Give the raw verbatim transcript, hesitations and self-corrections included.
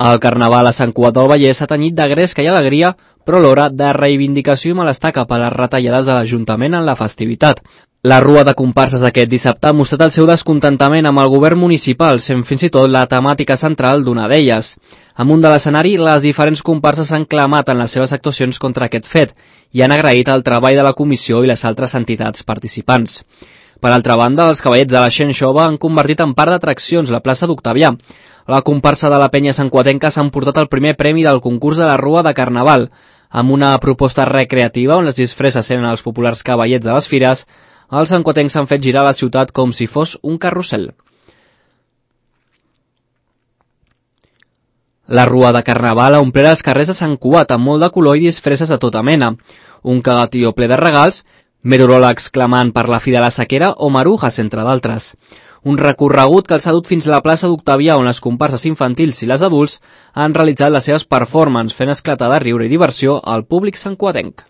El carnaval a Sant Cugat del Vallès s'ha tenyit de gresca i alegria, però alhora de reivindicació i malestar cap a les retallades de l'Ajuntament en la festivitat. La rua de comparses d'aquest dissabte ha mostrat el seu descontentament amb el govern municipal, sent fins i tot la temàtica central d'una d'elles. Amunt de l'escenari, les diferents comparses han clamat en les seves actuacions contra aquest fet i han agraït el treball de la comissió i les altres entitats participants. Per altra banda, els cavallets de la Xen Xova han convertit en part d'atraccions la plaça d'Octavià. La comparsa de la penya santcuatenca s'ha emportat el primer premi del concurs de la Rua de Carnaval, amb una proposta recreativa on les disfresses eren els populars cavallets de les fires. Els santcuatencs s'han fet girar la ciutat com si fos un carrusel. La Rua de Carnaval ha omplert els carrers de Sant Cugat amb molt de color i disfresses de tota mena. Un cagatió ple de regals, meteoròlegs clamant per la fi de la sequera o marujas, entre d'altres. Un recorregut que els ha dut fins a la plaça d'Octavià, on les comparses infantils i les adults han realitzat les seves performances, fent esclatar de riure i diversió al públic santcuatenc.